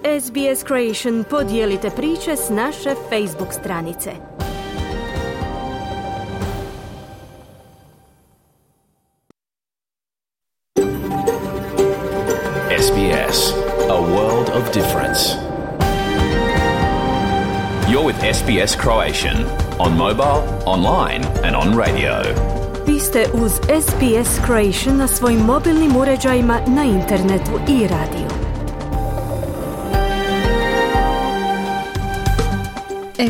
SBS Creation podijelite priče s naše Facebook stranice. SBS, a world of difference. You're with SBS Croatian on mobile, online and on radio. Vi ste uz SBS Croatian na svojim mobilnim uređajima, na internetu i radiju.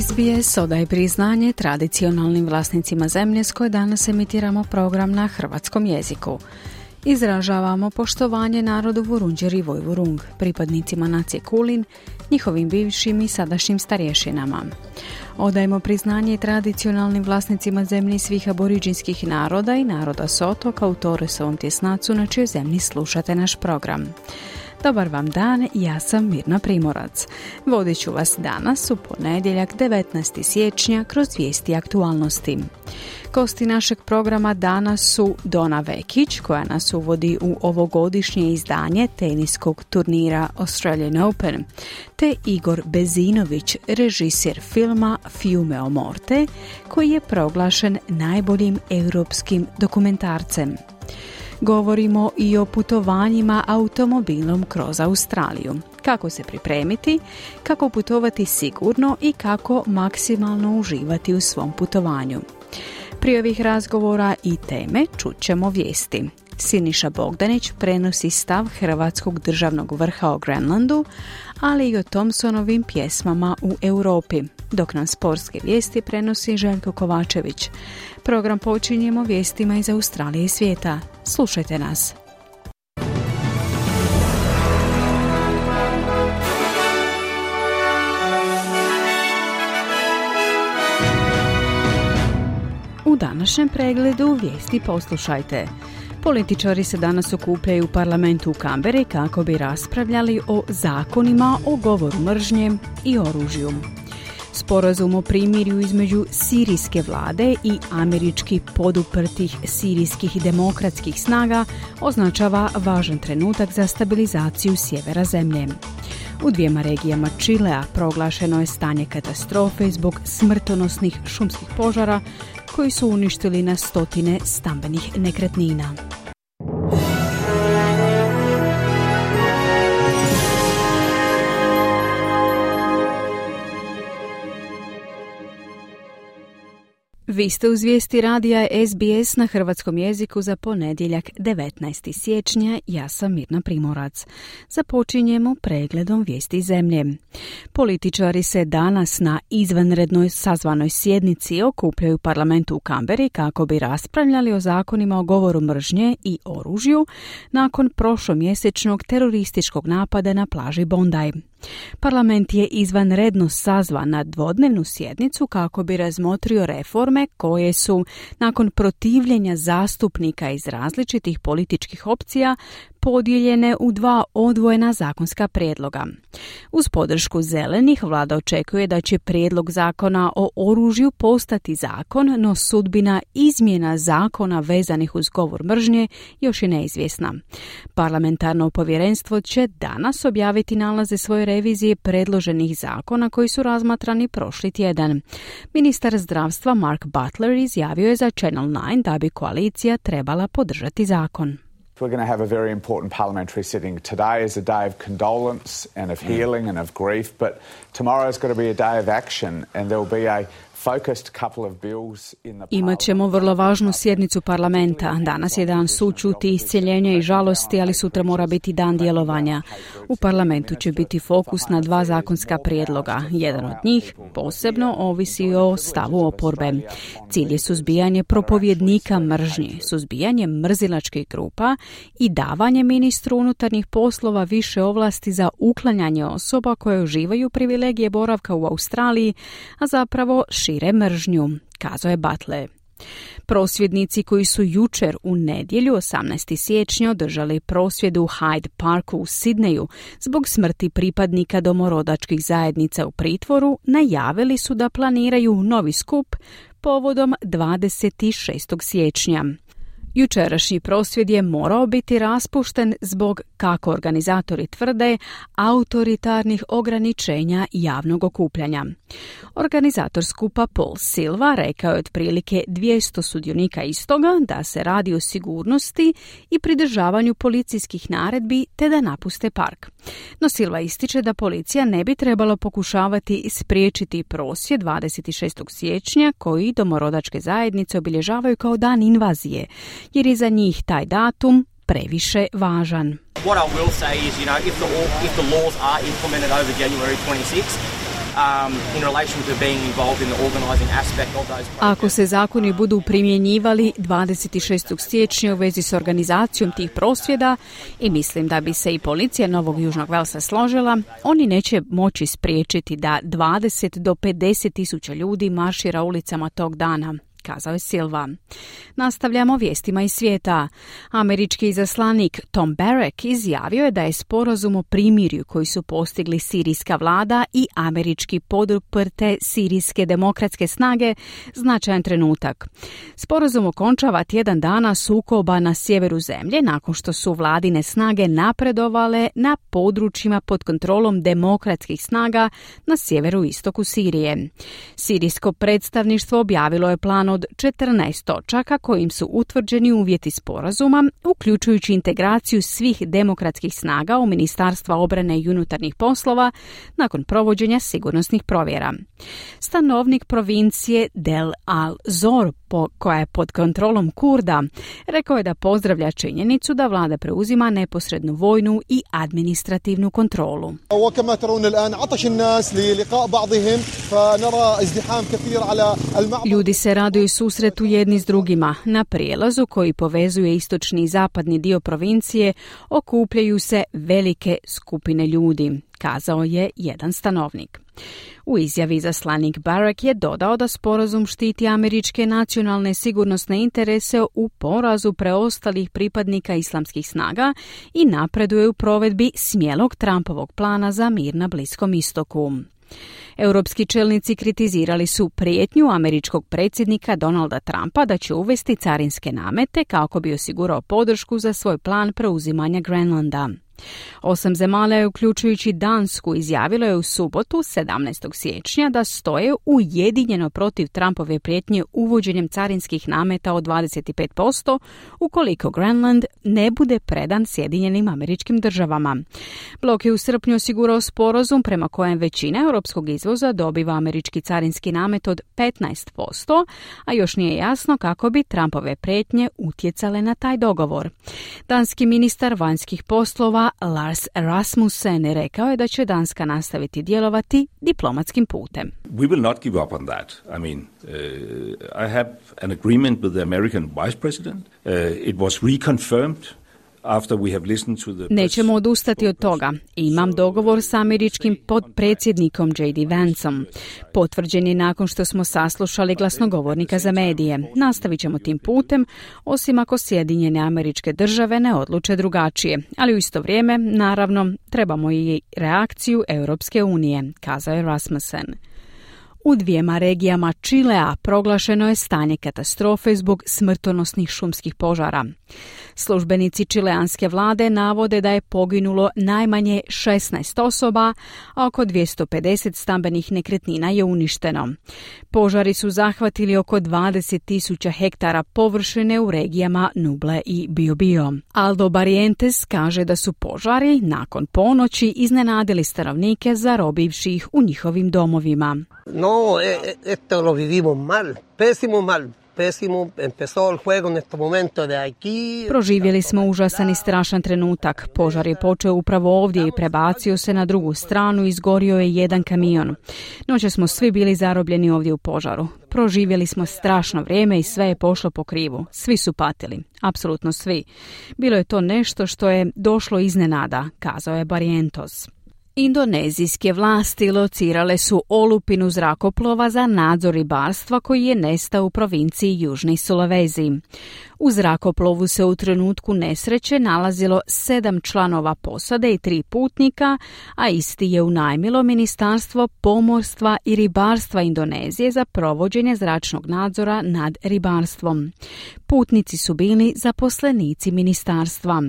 SBS odaje priznanje tradicionalnim vlasnicima zemlje s koje danas emitiramo program na hrvatskom jeziku. Izražavamo poštovanje narodu Vurundjer i Vojvurung, pripadnicima nacije Kulin, njihovim bivšim i sadašnjim starješinama. Odajemo priznanje tradicionalnim vlasnicima zemlji svih aboriđinskih naroda i naroda s otoka u Torresovom tjesnacu na čijoj zemlji slušate naš program. Dobar vam dan, ja sam Mirna Primorac. Vodit ću vas danas u ponedjeljak 19. siječnja kroz vijesti aktualnosti. Gosti našeg programa danas su Dona Vekić, koja nas uvodi u ovogodišnje izdanje teniskog turnira Australian Open, te Igor Bezinović, režiser filma Fiume o Morte, koji je proglašen najboljim europskim dokumentarcem. Govorimo i o putovanjima automobilom kroz Australiju. Kako se pripremiti, kako putovati sigurno i kako maksimalno uživati u svom putovanju. Prije ovih razgovora i teme čućemo vijesti. Siniša Bogdanić prenosi stav Hrvatskog državnog vrha o Grenlandu, ali i o Thompsonovim pjesmama u Europi, dok nam sportske vijesti prenosi Željko Kovačević. Program počinjemo vijestima iz Australije i svijeta. Slušajte nas. U današnjem pregledu vijesti poslušajte. Političari se danas okupljaju u parlamentu u Kamberi kako bi raspravljali o zakonima o govoru mržnje i oružju. Sporazum o primirju između sirijske vlade i američki poduprtih sirijskih demokratskih snaga označava važan trenutak za stabilizaciju sjevera zemlje. U dvijema regijama Čilea proglašeno je stanje katastrofe zbog smrtonosnih šumskih požara koji su uništili na stotine stambenih nekretnina. Vi ste uz vijesti radija SBS na hrvatskom jeziku za ponedjeljak 19. siječnja. Ja sam Mirna Primorac. Započinjemo pregledom vijesti zemlje. Političari se danas na izvanrednoj sazvanoj sjednici okupljaju u parlamentu u Kamberi kako bi raspravljali o zakonima o govoru mržnje i oružju nakon prošlomjesečnog terorističkog napada na plaži Bondi. Parlament je izvanredno sazvan na dvodnevnu sjednicu kako bi razmotrio reforme koje su, nakon protivljenja zastupnika iz različitih političkih opcija, podijeljene u dva odvojena zakonska prijedloga. Uz podršku zelenih, vlada očekuje da će prijedlog zakona o oružju postati zakon, no sudbina izmjena zakona vezanih uz govor mržnje još je neizvjesna. Parlamentarno povjerenstvo će danas objaviti nalaze svoje revizije predloženih zakona koji su razmatrani prošli tjedan. Ministar zdravstva Mark Butler izjavio je za Channel 9 da bi koalicija trebala podržati zakon. We're going to have a very important parliamentary sitting. Today is a day of condolence and of healing and of grief, but tomorrow's got to be a day of action and there will be a Imat ćemo vrlo važnu sjednicu parlamenta. Danas je dan sućuti, iscjeljenja i žalosti, ali sutra mora biti dan djelovanja. U parlamentu će biti fokus na dva zakonska prijedloga. Jedan od njih posebno ovisi o stavu oporbe. Cilj je suzbijanje propovjednika mržnje, suzbijanje mrzilačkih grupa i davanje ministru unutarnjih poslova više ovlasti za uklanjanje osoba koje uživaju privilegije boravka u Australiji, a zapravo šire mržnju, kazao je Butler. Prosvjednici koji su jučer u nedjelju 18. siječnja održali prosvjed u Hyde Parku u Sidneju zbog smrti pripadnika domorodačkih zajednica u pritvoru, najavili su da planiraju novi skup povodom 26. siječnja. Jučerašnji prosvjed je morao biti raspušten zbog, kako organizatori tvrde, autoritarnih ograničenja javnog okupljanja. Organizator skupa Paul Silva rekao je otprilike 200 sudionika istoga da se radi o sigurnosti i pridržavanju policijskih naredbi te da napuste park. No Silva ističe da policija ne bi trebalo pokušavati spriječiti prosvjed 26. siječnja koji domorodačke zajednice obilježavaju kao dan invazije, jer je za njih taj datum previše važan. What I will say is, if the laws are implemented over January 26th, in relation to being involved in the organizing aspect of those protests. Ako se zakoni budu primjenjivali 26. siječnja u vezi s organizacijom tih prosvjeda, i mislim da bi se i policija Novog Južnog Velsa složila, oni neće moći spriječiti da 20 do 50 tisuća ljudi maršira ulicama tog dana, kazao je Silva. Nastavljamo vijestima iz svijeta. Američki izaslanik Tom Barrack izjavio je da je sporazum o primirju koji su postigli sirijska vlada i američki poduprte sirijske demokratske snage značajan trenutak. Sporazum okončava tjedan dana sukoba na sjeveru zemlje nakon što su vladine snage napredovale na područjima pod kontrolom demokratskih snaga na sjeveru istoku Sirije. Sirijsko predstavništvo objavilo je plan od 14 točaka kojim su utvrđeni uvjeti sporazuma, uključujući integraciju svih demokratskih snaga u Ministarstva obrane i unutarnjih poslova nakon provođenja sigurnosnih provjera. Stanovnik provincije Del Al-Zor, koja je pod kontrolom Kurda, rekao je da pozdravlja činjenicu da vlada preuzima neposrednu vojnu i administrativnu kontrolu. Ljudi se raduju susretu jedni s drugima. Na prijelazu koji povezuje istočni i zapadni dio provincije okupljaju se velike skupine ljudi, kazao je jedan stanovnik. U izjavi izaslanik Barrack je dodao da sporazum štiti američke nacionalne sigurnosne interese u porazu preostalih pripadnika islamskih snaga i napreduje u provedbi smjelog Trumpovog plana za mir na Bliskom istoku. Europski čelnici kritizirali su prijetnju američkog predsjednika Donalda Trumpa da će uvesti carinske namete kako bi osigurao podršku za svoj plan preuzimanja Grenlanda. 8 zemalja, uključujući Dansku, izjavilo je u subotu 17. siječnja da stoje ujedinjeno protiv Trumpove prijetnje uvođenjem carinskih nameta od 25% ukoliko Grenland ne bude predan Sjedinjenim Američkim Državama. Blok je u srpnju osigurao sporazum prema kojem većina europskog izvoza dobiva američki carinski namet od 15%, a još nije jasno kako bi Trumpove prijetnje utjecale na taj dogovor. Danski ministar vanjskih poslova Lars Rasmussen rekao je da će Danska nastaviti djelovati diplomatskim putem. We will not give up on that. I mean, I have an agreement with the American vice president. It was reconfirmed. Nećemo odustati od toga. Imam dogovor sa američkim podpredsjednikom J.D. Vanceom. Potvrđen je nakon što smo saslušali glasnogovornika za medije. Nastavit ćemo tim putem, osim ako Sjedinjene Američke Države ne odluče drugačije. Ali u isto vrijeme, naravno, trebamo i reakciju Europske unije, kazao je Rasmussen. U 2 regijama Čilea proglašeno je stanje katastrofe zbog smrtonosnih šumskih požara. Službenici čileanske vlade navode da je poginulo najmanje 16 osoba, a oko 250 stambenih nekretnina je uništeno. Požari su zahvatili oko 20.000 hektara površine u regijama Nuble i Biobío. Aldo Barrientos kaže da su požari nakon ponoći iznenadili stanovnike zarobivši ih u njihovim domovima. No, esto lo vivimos mal, pésimo mal. Proživjeli smo užasan i strašan trenutak. Požar je počeo upravo ovdje i prebacio se na drugu stranu i izgorio je jedan kamion. Noće smo svi bili zarobljeni ovdje u požaru. Proživjeli smo strašno vrijeme i sve je pošlo po krivu. Svi su patili. Apsolutno svi. Bilo je to nešto što je došlo iznenada, kazao je Barrientos. Indonezijske vlasti locirale su olupinu zrakoplova za nadzor ribarstva koji je nestao u provinciji Južni Sulawesi. U zrakoplovu se u trenutku nesreće nalazilo 7 članova posade i 3 putnika, a isti je unajmilo Ministarstvo pomorstva i ribarstva Indonezije za provođenje zračnog nadzora nad ribarstvom. Putnici su bili zaposlenici ministarstva.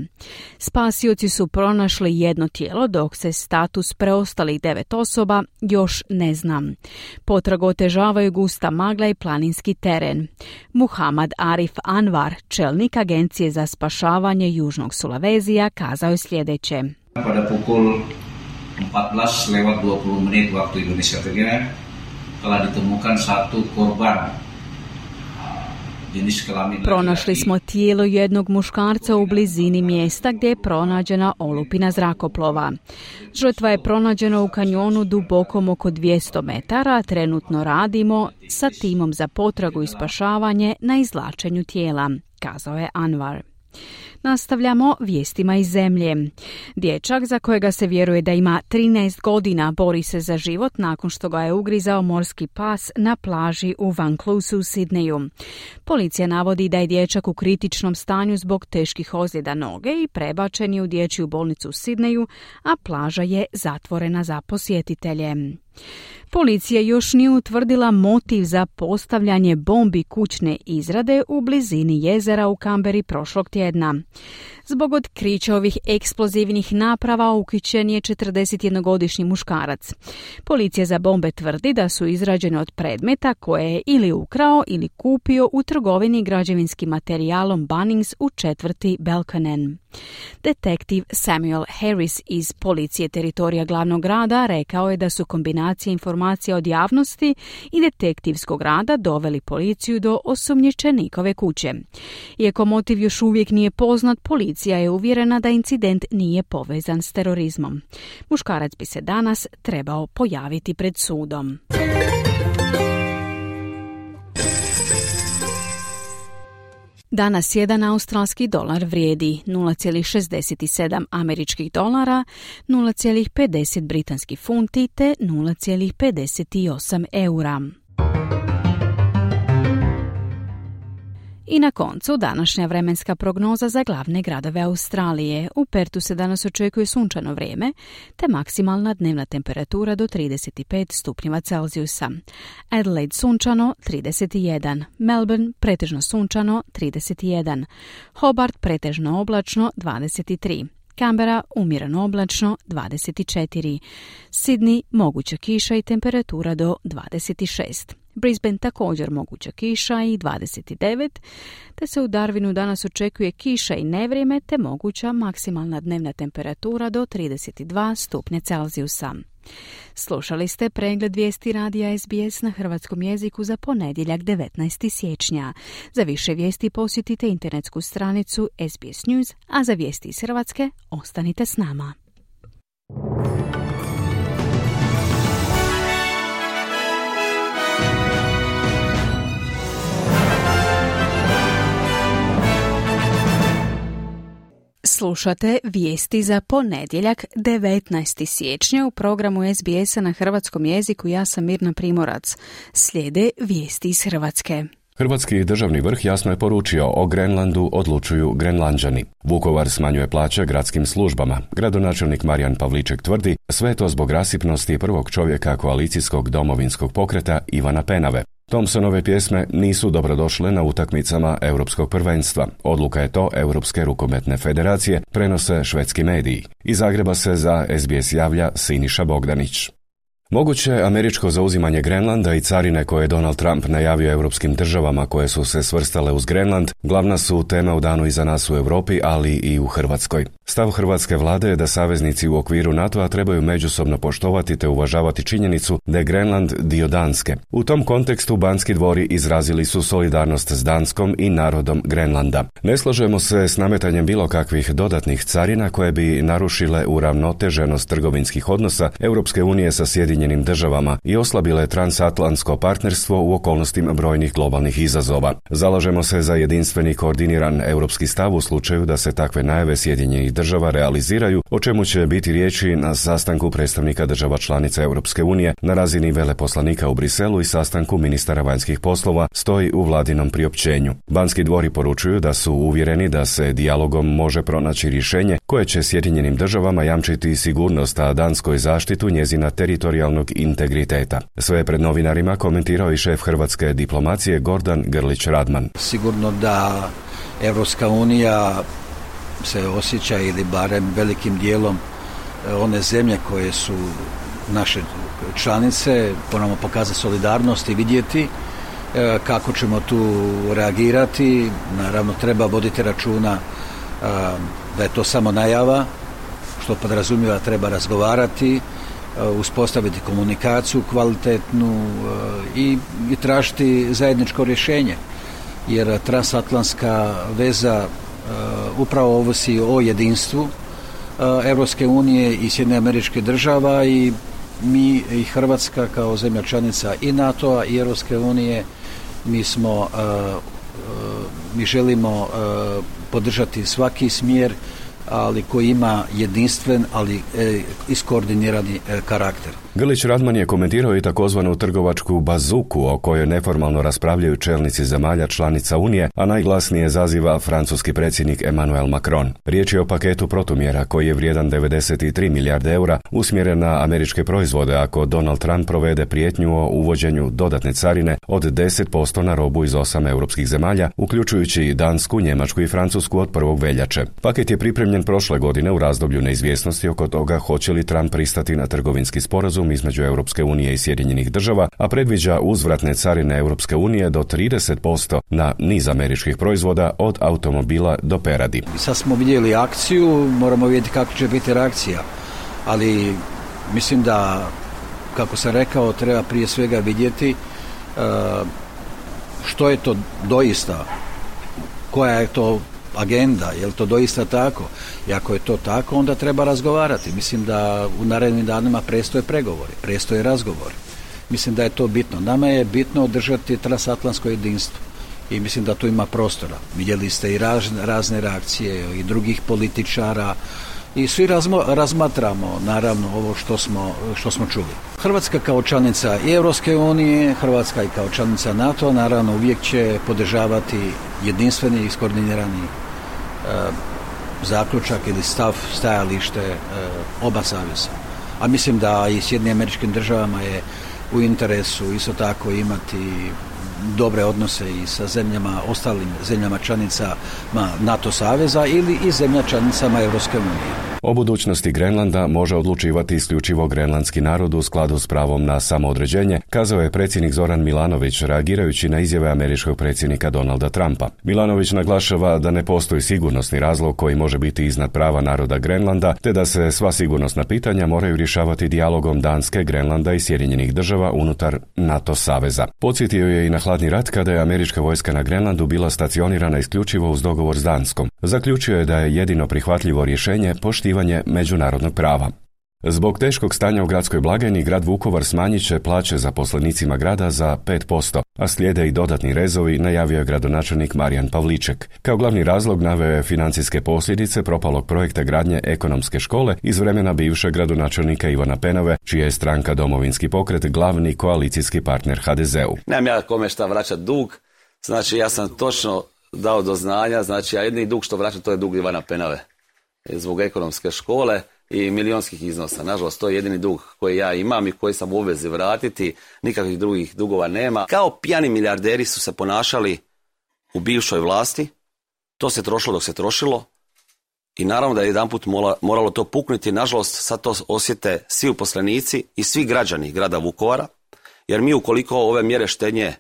Spasioci su pronašli jedno tijelo, dok se status preostalih 9 osoba još ne zna. Potragu otežavaju gusta magla i planinski teren. Muhammad Arif Anwar, čelnik Agencije za spašavanje Južnog Sulavezija, kazao je sljedeće. Pada pukul 14:20 waktu Indonesia Tengah telah ditemukan satu korban. Pronašli smo tijelo jednog muškarca u blizini mjesta gdje je pronađena olupina zrakoplova. Žrtva je pronađena u kanjonu dubokom oko 200 metara, trenutno radimo sa timom za potragu i spašavanje na izvlačenju tijela, kazao je Anwar. Nastavljamo vijestima iz zemlje. Dječak za kojega se vjeruje da ima 13 godina bori se za život nakon što ga je ugrizao morski pas na plaži u Vanclousu u Sidneju. Policija navodi da je dječak u kritičnom stanju zbog teških ozljeda noge i prebačen je u dječju bolnicu u Sidneju, a plaža je zatvorena za posjetitelje. Policija još nije utvrdila motiv za postavljanje bombi kućne izrade u blizini jezera u Kamberi prošlog tjedna. Zbog otkrića ovih eksplozivnih naprava uhićen je 41-godišnji muškarac. Policija za bombe tvrdi da su izrađene od predmeta koje je ili ukrao ili kupio u trgovini građevinskim materijalom Bunnings u četvrti Belconnen. Detektiv Samuel Harris iz policije teritorija glavnog grada rekao je da su kombinacije informacija od javnosti i detektivskog rada doveli policiju do osumnjičenikove kuće. Iako motiv još uvijek nije poznat, policija je uvjerena da incident nije povezan s terorizmom. Muškarac bi se danas trebao pojaviti pred sudom. Danas jedan australski dolar vrijedi 0,67 američkih dolara, 0,50 britanskih funti te 0,58 eura. I na koncu današnja vremenska prognoza za glavne gradove Australije. U Pertu se danas očekuje sunčano vrijeme, te maksimalna dnevna temperatura do 35 stupnjeva Celzijusa. Adelaide sunčano 31, Melbourne pretežno sunčano 31, Hobart pretežno oblačno 23, Canberra umjereno oblačno 24, Sydney moguća kiša i temperatura do 26. Brisbane također moguća kiša i 29, te se u Darwinu danas očekuje kiša i nevrijeme te moguća maksimalna dnevna temperatura do 32 stupnja Celzijusa. Slušali ste pregled vijesti radija SBS na hrvatskom jeziku za ponedjeljak 19. siječnja. Za više vijesti posjetite internetsku stranicu SBS News, a za vijesti iz Hrvatske ostanite s nama. Slušate vijesti za ponedjeljak 19. siječnja u programu SBS-a na hrvatskom jeziku. Ja sam Mirna Primorac. Slijede vijesti iz Hrvatske. Hrvatski državni vrh jasno je poručio o Grenlandu odlučuju Grenlanđani. Vukovar smanjuje plaće gradskim službama. Gradonačelnik Marijan Pavliček tvrdi sve to zbog rasipnosti prvog čovjeka koalicijskog domovinskog pokreta Ivana Penave. Thompsonove pjesme nisu dobrodošle na utakmicama Europskog prvenstva. Odluka je to Europske rukometne federacije, prenose švedski mediji. Iz Zagreba se za SBS javlja Siniša Bogdanić. Moguće američko zauzimanje Grenlanda i carine koje je Donald Trump najavio europskim državama koje su se svrstale uz Grenland glavna su tema u danu iza nas u Europi, ali i u Hrvatskoj. Stav hrvatske vlade je da saveznici u okviru NATO-a trebaju međusobno poštovati te uvažavati činjenicu da je Grenland dio Danske. U tom kontekstu Banski dvori izrazili su solidarnost s Danskom i narodom Grenlanda. Ne slažemo se s nametanjem bilo kakvih dodatnih carina koje bi narušile uravnoteženost trgovinskih odnosa Europske unije sa Sjedinjenim Sjedinjenim državama i oslabile transatlantsko partnerstvo u okolnostima brojnih globalnih izazova. Zalažemo se za jedinstveni koordiniran europski stav u slučaju da se takve najave Sjedinjenih država realiziraju, o čemu će biti riječi na sastanku predstavnika država članica Europske unije na razini veleposlanika u Briselu i sastanku ministara vanjskih poslova, stoji u vladinom priopćenju. Banski dvori poručuju da su uvjereni da se dijalogom može pronaći rješenje koje će Sjedinjenim državama jamčiti sigurnost, a Danskoj zaštitu njezina teritorijalnog integriteta. Sve pred novinarima komentirao i šef hrvatske diplomacije Gordan Grlić-Radman. Sigurno da Europska unija se osjeća, ili barem velikim dijelom one zemlje koje su naše članice, moramo pokazati solidarnost i vidjeti kako ćemo tu reagirati. Naravno, treba voditi računa da je to samo najava, što podrazumijeva treba razgovarati, uspostaviti komunikaciju kvalitetnu i tražiti zajedničko rješenje. Jer transatlantska veza upravo ovisi o jedinstvu Europske unije i Sjedinjenih Američkih Država, i mi i Hrvatska kao zemlja članica i NATO-a i Europske unije mi želimo podržati svaki smjer, ali koji ima jedinstven, ali iskoordinirani karakter. Grlić-Radman je komentirao i takozvanu trgovačku bazuku o kojoj neformalno raspravljaju čelnici zemalja članica Unije, a najglasnije zaziva francuski predsjednik Emmanuel Macron. Riječ je o paketu protumjera koji je vrijedan 93 milijarde eura, usmjeren na američke proizvode ako Donald Trump provede prijetnju o uvođenju dodatne carine od 10% na robu iz 8 europskih zemalja, uključujući Dansku, Njemačku i Francusku od 1. veljače. Paket je pripremljen prošle godine u razdoblju neizvjesnosti oko toga hoće li Trump pristati na trgovinski sporazum između Europske unije i Sjedinjenih država, a predviđa uzvratne carine Europske unije do 30% na niz američkih proizvoda od automobila do peradi. Sad smo vidjeli akciju, moramo vidjeti kako će biti reakcija, ali mislim da, kako sam rekao, treba prije svega vidjeti što je to doista, koja je to agenda, je li to doista tako? I ako je to tako, onda treba razgovarati. Mislim da u narednim danima predstoje pregovori, predstoje razgovori. Mislim da je to bitno. Nama je bitno održati transatlantsko jedinstvo i mislim da tu ima prostora. Vidjeli ste i razne reakcije i drugih političara i svi razmatramo naravno ovo što smo čuli. Hrvatska kao članica i Europske unije, Hrvatska i kao članica NATO naravno uvijek će podržavati jedinstveni i iskoordinirani zaključak ili stajalište oba saveza. A mislim da i Sjedinjenim Američkim Državama je u interesu isto tako imati dobre odnose i sa ostalim zemljama članicama NATO saveza ili i zemlja članicama Europske unije. O budućnosti Grenlanda može odlučivati isključivo grenlandski narod u skladu s pravom na samoodređenje, kazao je predsjednik Zoran Milanović reagirajući na izjave američkog predsjednika Donalda Trumpa. Milanović naglašava da ne postoji sigurnosni razlog koji može biti iznad prava naroda Grenlanda, te da se sva sigurnosna pitanja moraju rješavati dijalogom Danske, Grenlanda i Sjedinjenih država unutar NATO saveza. Podsjetio je i na hladni rat kada je američka vojska na Grenlandu bila stacionirana isključivo uz dogovor s Danskom. Zaključio je da je jedino prihvatljivo rješenje poštivanje međunarodnog prava. Zbog teškog stanja u gradskoj blagajni, grad Vukovar smanjit će plaće zaposlenicima grada za 5%, a slijede i dodatni rezovi, najavio je gradonačelnik Marijan Pavliček. Kao glavni razlog naveo je financijske posljedice propalog projekta gradnje ekonomske škole iz vremena bivšeg gradonačelnika Ivana Penave, čija je stranka Domovinski pokret glavni koalicijski partner HDZ-u. Nemam ja kome šta vraćati dug, znači ja sam točno dao do znanja, znači ja jedini dug što vraćam to je dug Ivana Penave zbog ekonomske škole i milionskih iznosa. Nažalost, to je jedini dug koji ja imam i koji sam u obvezi vratiti. Nikakvih drugih dugova nema. Kao pijani milijarderi su se ponašali u bivšoj vlasti. To se trošilo dok se trošilo. I naravno da je jedanput moralo to puknuti. Nažalost, sad to osjete svi uposlenici i svi građani grada Vukovara. Jer mi ukoliko ove mjere štednje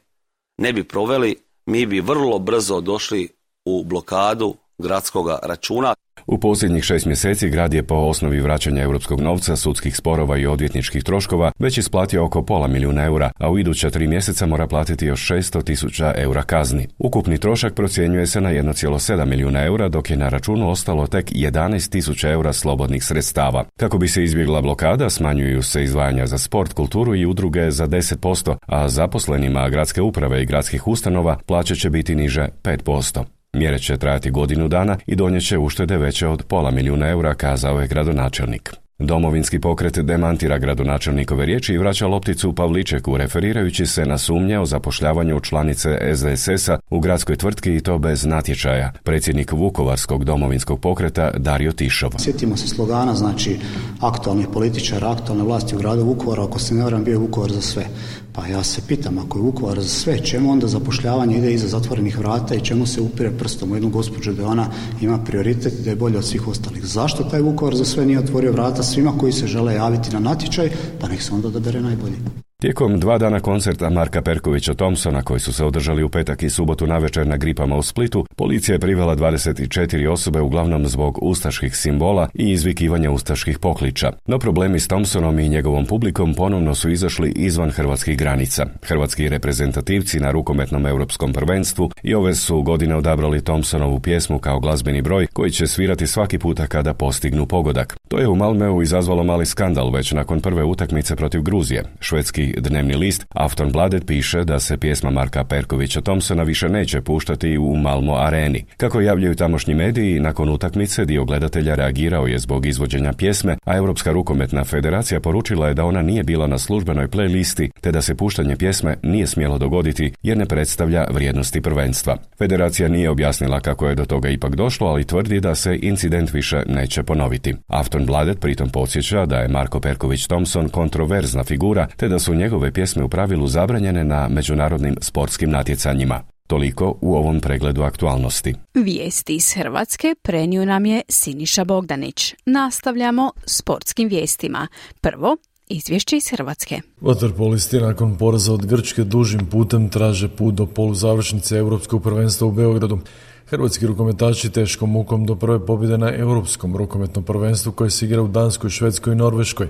ne bi proveli, mi bi vrlo brzo došli u blokadu gradskog računa. U posljednjih 6 mjeseci grad je po osnovi vraćanja europskog novca, sudskih sporova i odvjetničkih troškova već isplatio oko €500.000, a u iduća 3 mjeseca mora platiti još €600.000 kazni. Ukupni trošak procjenjuje se na €1,7 milijuna, dok je na računu ostalo tek €11.000 slobodnih sredstava. Kako bi se izbjegla blokada, smanjuju se izdvajanja za sport, kulturu i udruge za 10%, a zaposlenima gradske uprave i gradskih ustanova plaće će biti niže 5%. Mjere će trajati godinu dana i donijet će uštede veće od €500.000, kazao je gradonačelnik. Domovinski pokret demantira gradonačelnikove riječi i vraća lopticu Pavličeku, referirajući se na sumnje o zapošljavanju članice SDSS-a u gradskoj tvrtki i to bez natječaja. Predsjednik Vukovarskog domovinskog pokreta Dario Tišov. Sjetimo se slogana, znači aktualnih političara, aktualne vlasti u gradu Vukovaru, ako se ne varam bio je Vukovar za sve. Pa ja se pitam, ako je Vukovar za sve, čemu onda zapošljavanje ide iza zatvorenih vrata i čemu se upire prstom u jednu gospođu da ona ima prioritet i da je bolje od svih ostalih? Zašto taj Vukovar za sve nije otvorio vrata svima koji se žele javiti na natječaj, pa nek se onda odabere najbolji? Tijekom 2 dana koncerta Marka Perkovića Thompsona, koji su se održali u petak i subotu navečer na Gripama u Splitu, policija je privela 24 osobe, uglavnom zbog ustaških simbola i izvikivanja ustaških pokliča. No problemi s Thompsonom i njegovom publikom ponovno su izašli izvan hrvatskih granica. Hrvatski reprezentativci na rukometnom europskom prvenstvu i ove su godine odabrali Thompsonovu pjesmu kao glazbeni broj koji će svirati svaki puta kada postignu pogodak. To je u Malmeu izazvalo mali skandal već nakon prve utakmice protiv Gruzije. Švedski dnevni list Aftonbladet piše da se pjesma Marka Perkovića Thompsona više neće puštati u Malmo areni. Kako javljaju tamošnji mediji, nakon utakmice dio gledatelja reagirao je zbog izvođenja pjesme, a Europska rukometna federacija poručila je da ona nije bila na službenoj playlisti, te da se puštanje pjesme nije smjelo dogoditi jer ne predstavlja vrijednosti prvenstva. Federacija nije objasnila kako je do toga ipak došlo, ali tvrdi da se incident više neće ponoviti. Aftonbladet pritom podsjeća da je Marko Perković Thompson kontroverzna figura, te da su njegove pjesme u pravilu zabranjene na međunarodnim sportskim natjecanjima. Toliko u ovom pregledu aktualnosti. Vijesti iz Hrvatske prenio nam je Siniša Bogdanić. Nastavljamo sportskim vijestima. Prvo, izvješće iz Hrvatske. Vaterpolisti nakon poraza od Grčke dužim putem traže put do poluzavršnice Europskog prvenstva u Beogradu. Hrvatski rukometaši teškom mukom do prve pobjede na Europskom rukometnom prvenstvu koje se igra u Danskoj, Švedskoj i Norveškoj.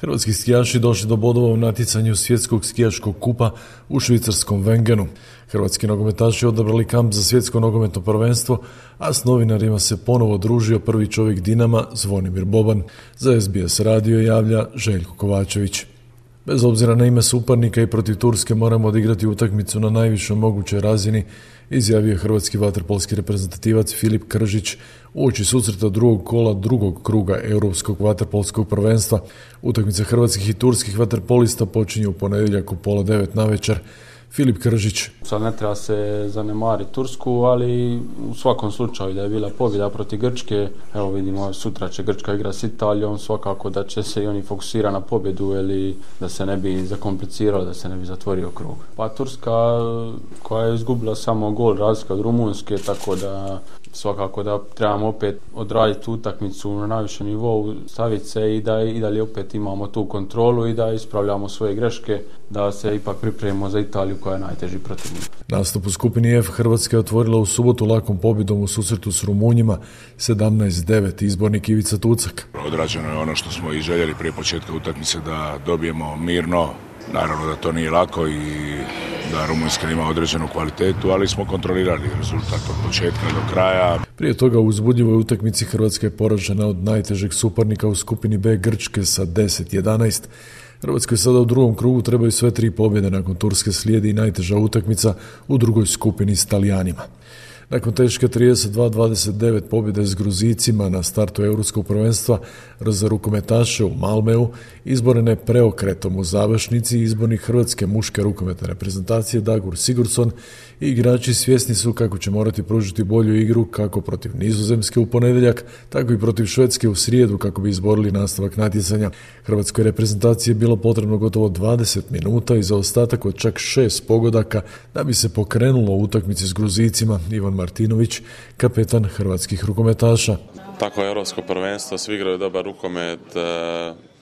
Hrvatski skijaši došli do bodova u natjecanju svjetskog skijaškog kupa u švicarskom Wengenu. Hrvatski nogometaši odabrali kamp za svjetsko nogometno prvenstvo, a s novinarima se ponovo družio prvi čovjek Dinama Zvonimir Boban. Za SBS radio javlja Željko Kovačević. Bez obzira na ime suparnika i protiv Turske moramo odigrati utakmicu na najvišoj mogućoj razini, izjavio je hrvatski vaterpolski reprezentativac Filip Kržić uoči susreta drugog kola drugog kruga Europskog vaterpolskog prvenstva. Utakmica hrvatskih i turskih vaterpolista počinje u ponedjeljak u 8:30 navečer. Filip Kržić. Sad ne treba se zanemariti Tursku, ali u svakom slučaju da je bila pobjeda protiv Grčke, evo vidimo sutra će Grčka igra s Italijom, svakako da će se i oni fokusirati na pobjedu ili da se ne bi zakompliciralo, da se ne bi zatvorio krug. Pa Turska koja je izgubila samo gol razlika od Rumunjske, tako da svakako da trebamo opet odraditi utakmicu na najvišem nivou, staviti se i da opet imamo tu kontrolu i da ispravljamo svoje greške, da se ipak pripremimo za Italiju koja je najteži protivnik. Nastup u skupini F Hrvatska je otvorila u subotu lakom pobjedom u susretu s Rumunjima 17-9, izbornik Ivica Tucak. Odrađeno je ono što smo i željeli prije početka utakmice, da dobijemo mirno. Naravno da to nije lako i da Rumunjska ima određenu kvalitetu, ali smo kontrolirali rezultat od početka do kraja. Prije toga u uzbudljivoj utakmici Hrvatska je poražena od najtežeg suparnika u skupini B Grčke sa 10-11. Hrvatskoj sada u drugom krugu trebaju sve 3 pobjede, nakon Turske slijedi i najteža utakmica u drugoj skupini s Talijanima. Nakon teške 32-29 pobjede s Gruzicima na startu Europskog prvenstva za rukometaše u Malmeu, izborene preokretom u završnici, izbornik hrvatske muške rukometne reprezentacije Dagur Sigurdsson i igrači svjesni su kako će morati pružiti bolju igru kako protiv Nizozemske u ponedjeljak, tako i protiv Švedske u srijedu kako bi izborili nastavak natjecanja. Hrvatskoj reprezentaciji je bilo potrebno gotovo 20 minuta i zaostatak od čak 6 pogodaka da bi se pokrenulo u utakmici s Gruzicima. Ivan Martinović, kapetan hrvatskih rukometaša. Tako je europsko prvenstvo, svi igraju dobar rukomet,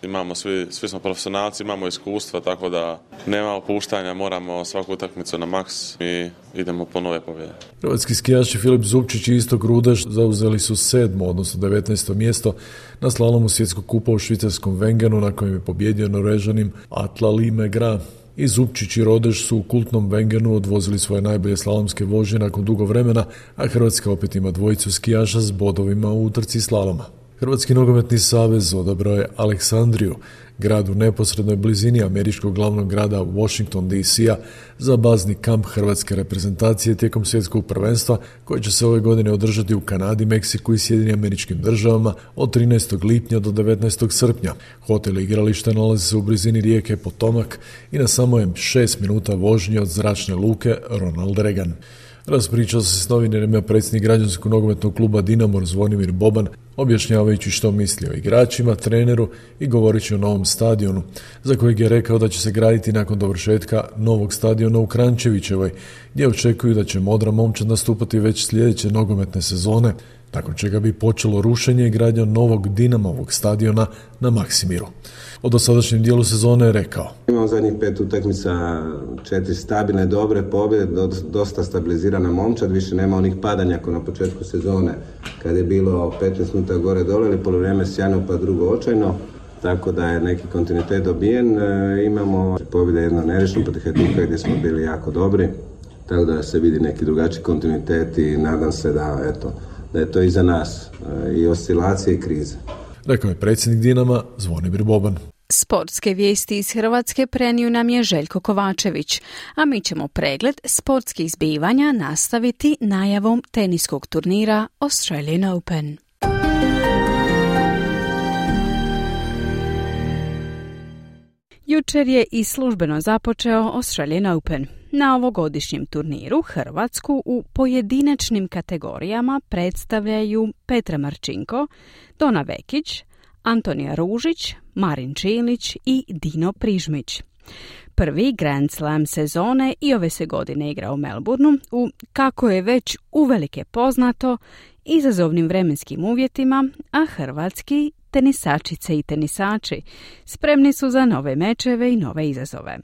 imamo svi smo profesionalci, imamo iskustva, tako da nema opuštanja, moramo svaku utakmicu na maks i idemo po nove pobjede. Hrvatski skijaši Filip Zupčić i Istok Rudaš zauzeli su 7. odnosno 19. mjesto na slalomu svjetskog kupa u švicarskom Wengenu, na kojem je pobjedio Norvežanin Atle Limegra. I Zupčić i Rodeš su u kultnom Wengenu odvozili svoje najbolje slalomske vožnje nakon dugo vremena, a Hrvatska opet ima dvojicu skijaša s bodovima u utrci slaloma. Hrvatski nogometni savez odabrao je Aleksandriju, grad u neposrednoj blizini američkog glavnog grada Washington DC-a, za bazni kamp hrvatske reprezentacije tijekom svjetskog prvenstva koje će se ove godine održati u Kanadi, Meksiku i Sjedinjenim Američkim Državama od 13. lipnja do 19. srpnja. Hotel i igralište nalazi se u blizini rijeke Potomac i na samo je 6 minuta vožnje od zračne luke Ronald Reagan. Raspričao se s novinarima predsjednik građanskog nogometnog kluba Dinamo Zvonimir Boban, objašnjavajući što misli o igračima, treneru i govoreći o novom stadionu, za kojeg je rekao da će se graditi nakon dovršetka novog stadiona u Kranjčevićevoj, gdje očekuju da će Modra momčad nastupati već sljedeće nogometne sezone, nakon čega bi počelo rušenje i gradnja novog Dinamovog stadiona na Maksimiru. O dosadašnjem dijelu sezone je rekao: Imamo zadnjih 5 utakmica, 4 stabilne, dobre pobjede, dosta stabilizirana momčad, više nema onih padanja kao na početku sezone kad je bilo 15 minuta gore dole ili polovrijeme sjajno pa drugo očajno, tako da je neki kontinuitet dobijen. Imamo pobjede jedno nerešeno protiv Hajduk gdje smo bili jako dobri, tako da se vidi neki drugačiji kontinuitet i nadam se da je to iza nas, i oscilacije i krize. Rekao je predsjednik Dinama Zvonimir Boban. Sportske vijesti iz Hrvatske prenio nam je Željko Kovačević, a mi ćemo pregled sportskih zbivanja nastaviti najavom teniskog turnira Australian Open. Jučer je i službeno započeo Australian Open. Na ovogodišnjem turniru Hrvatsku u pojedinačnim kategorijama predstavljaju Petra Marčinko, Dona Vekić, Antonija Ružić, Marin Čilić i Dino Prižmić. Prvi Grand Slam sezone i ove se godine igra u Melbourneu u, kako je već uvelike poznato, izazovnim vremenskim uvjetima, a hrvatski tenisačice i tenisači spremni su za nove mečeve i nove izazove.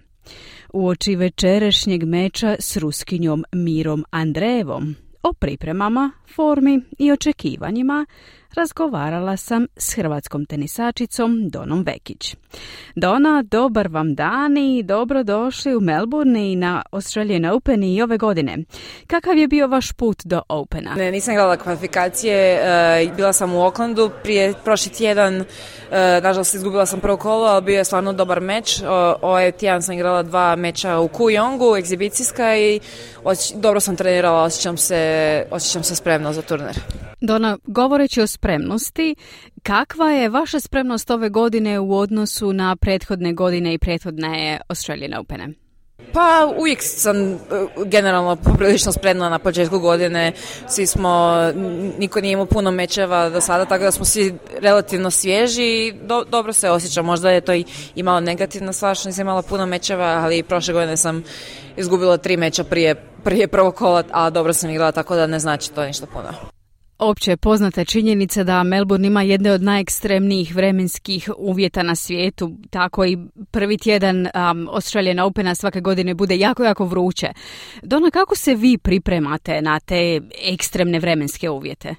Uoči večerašnjeg meča s Ruskinjom Mirom Andrejevom o pripremama, formi i očekivanjima razgovarala sam s hrvatskom tenisačicom Donom Vekić. Dona, dobar vam dan i dobrodošli u Melbourne i na Australian Open i ove godine. Kakav je bio vaš put do Opena? Ne, nisam igrala kvalifikacije, bila sam u Aucklandu prošli tjedan, nažalost izgubila sam prvo kolo, ali bio je stvarno dobar meč. Ovaj tjedan sam igrala 2 meča u Kooyongu, egzibicijska, i dobro sam trenirala, osjećam se spremno za turnir. Dona, govoreći o spremnosti, kakva je vaša spremnost ove godine u odnosu na prethodne godine i prethodne Australian Opene? Pa uvijek sam generalno poprilično spremna na početku godine. Niko nije imao puno mečeva do sada, tako da smo svi relativno svježi i dobro se osjećam. Možda je to i malo negativna stvar što nisam imala puno mečeva, ali prošle godine sam izgubila 3 meča prije prvog kola, a dobro sam igrala, tako da ne znači to ništa puno. Opće je poznata činjenica da Melbourne ima jedne od najekstremnijih vremenskih uvjeta na svijetu, tako i prvi tjedan Australian Opena svake godine bude jako, jako vruće. Dona, kako se vi pripremate na te ekstremne vremenske uvjete?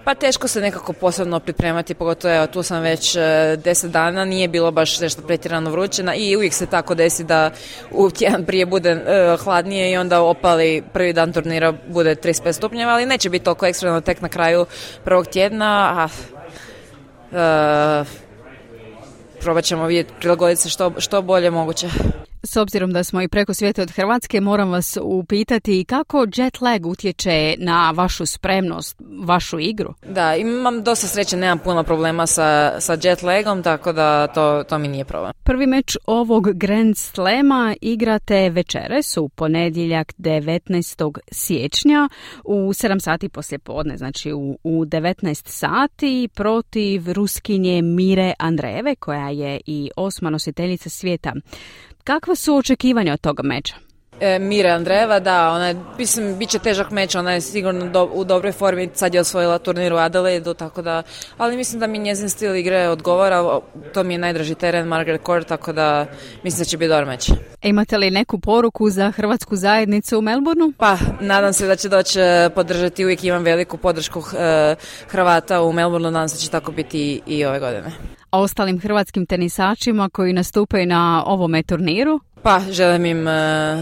Pa teško se nekako posebno pripremati, pogotovo tu sam već 10 dana, nije bilo baš nešto pretjerano vruće i uvijek se tako desi da u tjedan prije bude hladnije i onda opali prvi dan turnira bude 35 stupnjeva, ali neće biti toliko ekstremno tek na kraju prvog tjedna, probat ćemo vidjeti, prilagoditi se što bolje moguće. S obzirom da smo i preko svijeta od Hrvatske, moram vas upitati kako jet lag utječe na vašu spremnost, vašu igru? Da, imam dosta sreće, nemam puno problema sa jet lagom, tako da to mi nije problem. Prvi meč ovog Grand Slama igrate večeras u ponedjeljak 19. siječnja u 7 sati poslijepodne, znači u 19 sati protiv Ruskinje Mire Andrejeve, koja je i 8. nositeljica svijeta. Kakva su očekivanja od toga meča? Mire Andreeva, da, ona je, mislim, bit će težak meč, ona je sigurno u dobroj formi, sad je osvojila turnir u Adelaidu, tako da, ali mislim da mi njezin stil igre odgovara, to mi je najdraži teren, Margaret Court, tako da mislim da će biti dobar meč. Imate li neku poruku za hrvatsku zajednicu u Melbourneu? Pa, nadam se da će doći podržati, uvijek imam veliku podršku Hrvata u Melbourneu, nadam se da će tako biti i ove godine. A ostalim hrvatskim tenisačima koji nastupaju na ovome turniru? Pa, želim im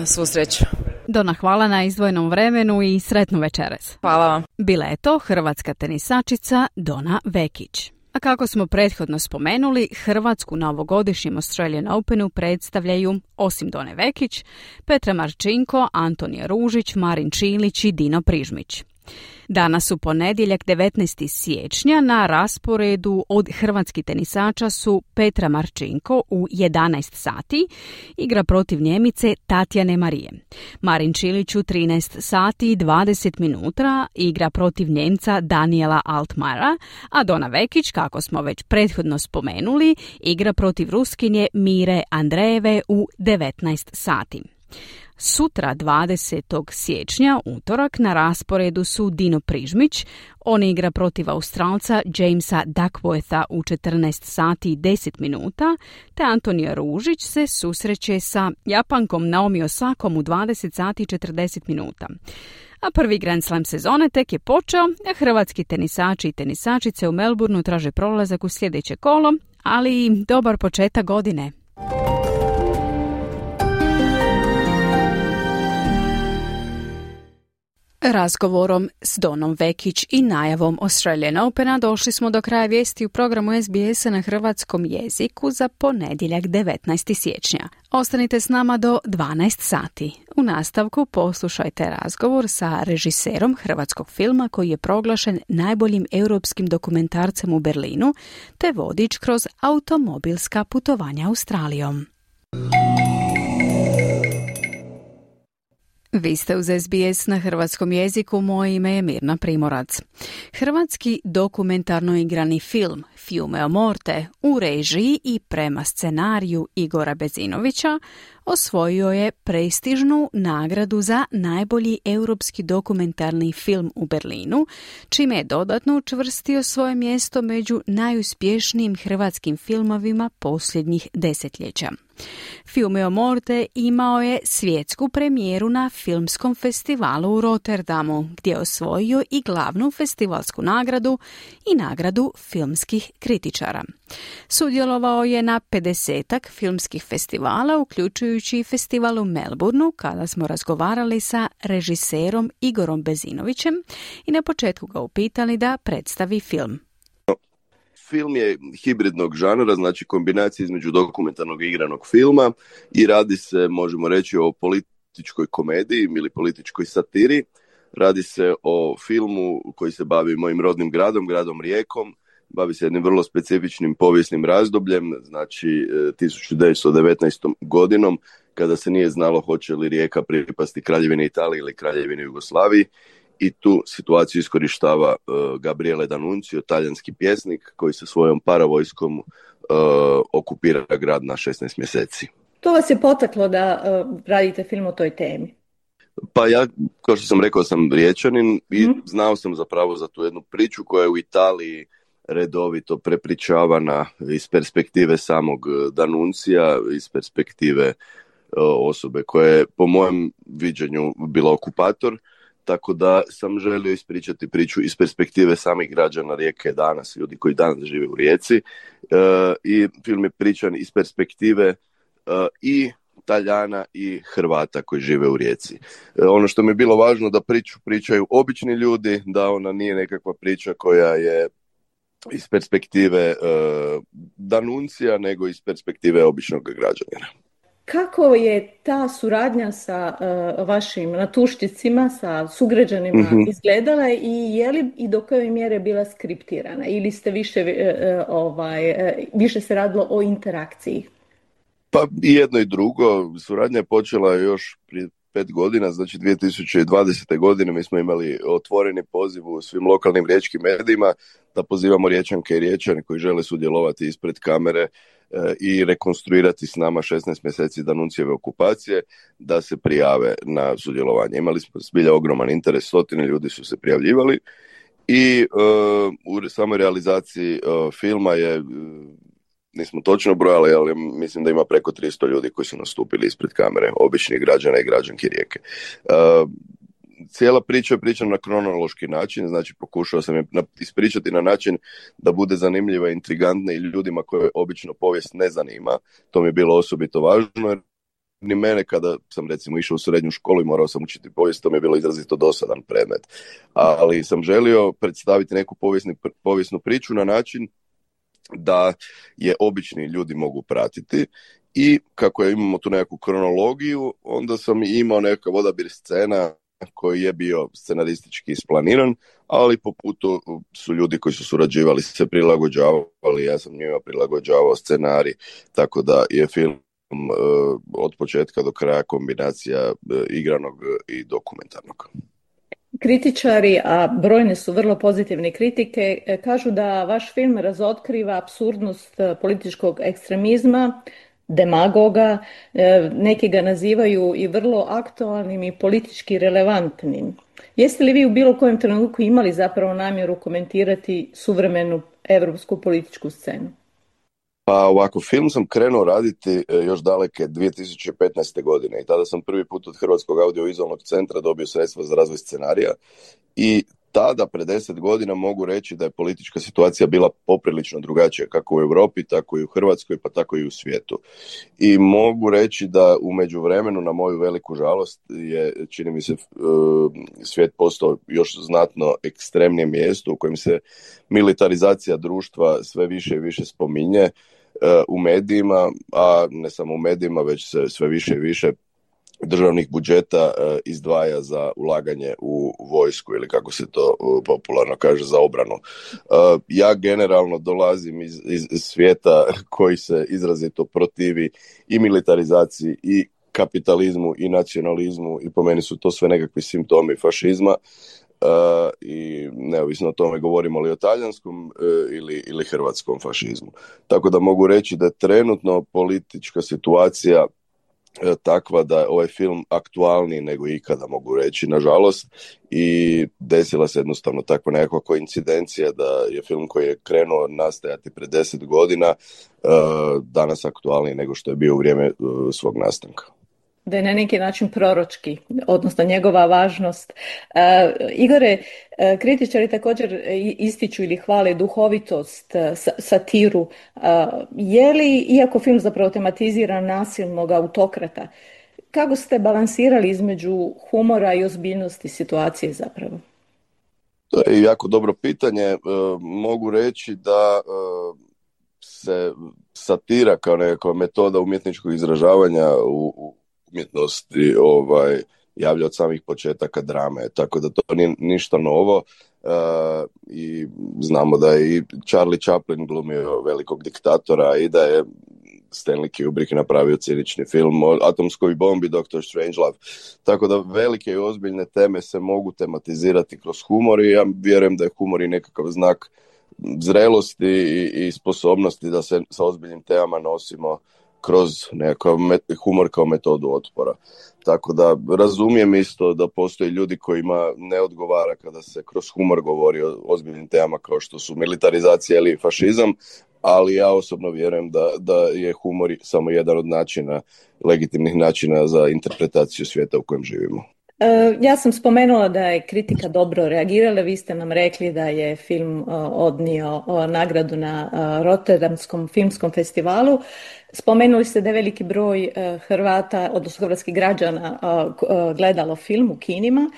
svu sreću. Dona, hvala na izdvojenom vremenu i sretnu večeras. Hvala vam. Bila je to hrvatska tenisačica Dona Vekić. A kako smo prethodno spomenuli, Hrvatsku na ovogodišnjem Australian Openu predstavljaju, osim Done Vekić, Petra Marčinko, Antonija Ružić, Marin Čilić i Dino Prižmić. Danas u ponedjeljak 19. siječnja na rasporedu od hrvatskih tenisača su Petra Marčinko u 11 sati, igra protiv Njemice Tatjane Marije. Marin Čilić u 13 sati i 20 minuta igra protiv Njemca Daniela Altmajera, a Dona Vekić, kako smo već prethodno spomenuli, igra protiv Ruskinje Mire Andreeve u 19 sati. Sutra, 20. siječnja, utorak, na rasporedu su Dino Prižmić, on igra protiv Australca Jamesa Duckwortha u 14 sati i 10 minuta, te Antonija Ružić se susreće sa Japankom Naomi Osakom u 20 sati i 40 minuta. A prvi Grand Slam sezone tek je počeo, a hrvatski tenisači i tenisačice u Melbourneu traže prolazak u sljedeće kolo, ali i dobar početak godine. Razgovorom s Donom Vekić i najavom Australian Opena došli smo do kraja vijesti u programu SBS-a na hrvatskom jeziku za ponedjeljak 19. siječnja. Ostanite s nama do 12 sati. U nastavku poslušajte razgovor sa režiserom hrvatskog filma koji je proglašen najboljim europskim dokumentarcem u Berlinu, te vodič kroz automobilska putovanja Australijom. Vi ste uz SBS na hrvatskom jeziku, moje ime je Mirna Primorac. Hrvatski dokumentarno igrani film Fiume o Morte u režiji i prema scenariju Igora Bezinovića osvojio je prestižnu nagradu za najbolji europski dokumentarni film u Berlinu, čime je dodatno učvrstio svoje mjesto među najuspješnijim hrvatskim filmovima posljednjih desetljeća. Fiume o Morte imao je svjetsku premijeru na filmskom festivalu u Rotterdamu, gdje je osvojio i glavnu festivalsku nagradu i nagradu filmskih kritičara. Sudjelovao je na 50-ak filmskih festivala, uključujući i festival u Melbourneu, kada smo razgovarali sa režiserom Igorom Bezinovićem i na početku ga upitali da predstavi film. Film je hibridnog žanra, znači kombinacija između dokumentarnog i igranog filma i radi se, možemo reći, o političkoj komediji ili političkoj satiri. Radi se o filmu koji se bavi mojim rodnim gradom Rijekom, bavi se jednim vrlo specifičnim povijesnim razdobljem, znači 1919. godinom, kada se nije znalo hoće li Rijeka pripasti Kraljevini Italiji ili Kraljevini Jugoslaviji. I tu situaciju iskorištava Gabriele D'Annunzio, talijanski pjesnik koji sa svojom paravojskom okupira grad na 16 mjeseci. To vas je potaklo da radite film o toj temi? Pa ja, kao što sam rekao, sam Riječanin i znao sam zapravo za tu jednu priču koja je u Italiji redovito prepričavana iz perspektive samog D'Annunzia, iz perspektive osobe koja je po mojem viđenju bila okupator. Tako da sam želio ispričati priču iz perspektive samih građana Rijeke danas, ljudi koji danas žive u Rijeci. I film je pričan iz perspektive i Talijana i Hrvata koji žive u Rijeci. Ono što mi je bilo važno da pričaju obični ljudi, da ona nije nekakva priča koja je iz perspektive D'Annunzia, nego iz perspektive običnog građanina. Kako je ta suradnja sa vašim natušticima, sa sugrađanima izgledala i je li i do koje mjere bila skriptirana ili ste više se radilo o interakciji? Pa i jedno i drugo. Suradnja je počela još prije 5 godina, znači 2020. godine mi smo imali otvoreni poziv u svim lokalnim riječkim medijima da pozivamo Riječanke i Riječane koji žele sudjelovati ispred kamere i rekonstruirati s nama 16 mjeseci D'Annunzieve okupacije, da se prijave na sudjelovanje. Imali smo zbilja ogroman interes, 100 ljudi su se prijavljivali i u samoj realizaciji filma je, nismo točno brojali, ali mislim da ima preko 300 ljudi koji su nastupili ispred kamere, običnih građana i građanki Rijeke. Cijela priča je pričana na kronološki način, znači pokušao sam je ispričati na način da bude zanimljiva i intrigantna i ljudima koje obično povijest ne zanima. To mi je bilo osobito važno, jer ni mene kada sam recimo išao u srednju školu i morao sam učiti povijest, to mi je bilo izrazito dosadan predmet. Ali sam želio predstaviti neku povijesnu priču na način da je obični ljudi mogu pratiti i kako imamo tu nekakvu kronologiju, onda sam imao nekakav odabir scena koji je bio scenaristički isplaniran, ali po putu su ljudi koji su surađivali se prilagođavali, ja sam njima prilagođavao scenarij, tako da je film od početka do kraja kombinacija igranog i dokumentarnog. Kritičari, a brojne su vrlo pozitivne kritike, kažu da vaš film razotkriva apsurdnost političkog ekstremizma, demagoga, neki ga nazivaju i vrlo aktualnim i politički relevantnim. Jeste li vi u bilo kojem trenutku imali zapravo namjeru komentirati suvremenu europsku političku scenu? Pa ovako, film sam krenuo raditi još daleke 2015. godine i tada sam prvi put od Hrvatskog audiovizualnog centra dobio sredstva za razvoj scenarija i tada, pred 10 godina, mogu reći da je politička situacija bila poprilično drugačija, kako u Europi, tako i u Hrvatskoj, pa tako i u svijetu. I mogu reći da u međuvremenu, na moju veliku žalost, je, čini mi se, svijet postao još znatno ekstremnije mjesto u kojem se militarizacija društva sve više i više spominje u medijima, a ne samo u medijima, već se sve više i više državnih budžeta izdvaja za ulaganje u vojsku ili kako se to popularno kaže za obranu. Ja generalno dolazim iz svijeta koji se izrazito protivi i militarizaciji i kapitalizmu i nacionalizmu i po meni su to sve nekakvi simptomi fašizma. I neovisno o tome govorimo li o talijanskom ili hrvatskom fašizmu. Tako da mogu reći da je trenutno politička situacija takva da je ovaj film aktualniji nego ikada, mogu reći, nažalost, i desila se jednostavno takva nekakva koincidencija da je film koji je krenuo nastajati pred 10 godina danas aktualniji nego što je bio u vrijeme svog nastanka. Da je na neki način proročki, odnosno njegova važnost. Igore, kritičari također ističu ili hvale duhovitost, satiru. Je li, iako film zapravo tematizira nasilnog autokrata, kako ste balansirali između humora i ozbiljnosti situacije zapravo? To je jako dobro pitanje. Mogu reći da se satira kao nekakva metoda umjetničkog izražavanja u umjetnosti javlja od samih početaka drame, tako da to nije ništa novo i znamo da je i Charlie Chaplin glumio velikog diktatora i da je Stanley Kubrick napravio cinični film o atomskoj bombi Dr. Strangelove, tako da velike i ozbiljne teme se mogu tematizirati kroz humor i ja vjerujem da je humor i nekakav znak zrelosti i sposobnosti da se sa ozbiljnim temama nosimo kroz nekakav humor kao metodu otpora. Tako da razumijem isto da postoji ljudi kojima ne odgovara kada se kroz humor govori o ozbiljnim temama kao što su militarizacija ili fašizam, ali ja osobno vjerujem da je humor samo jedan od načina, legitimnih načina za interpretaciju svijeta u kojem živimo. Ja sam spomenula da je kritika dobro reagirala, vi ste nam rekli da je film odnio nagradu na Rotterdamskom filmskom festivalu. Spomenuli ste da je veliki broj Hrvata, odnosno hrvatskih građana, gledalo film u kinima.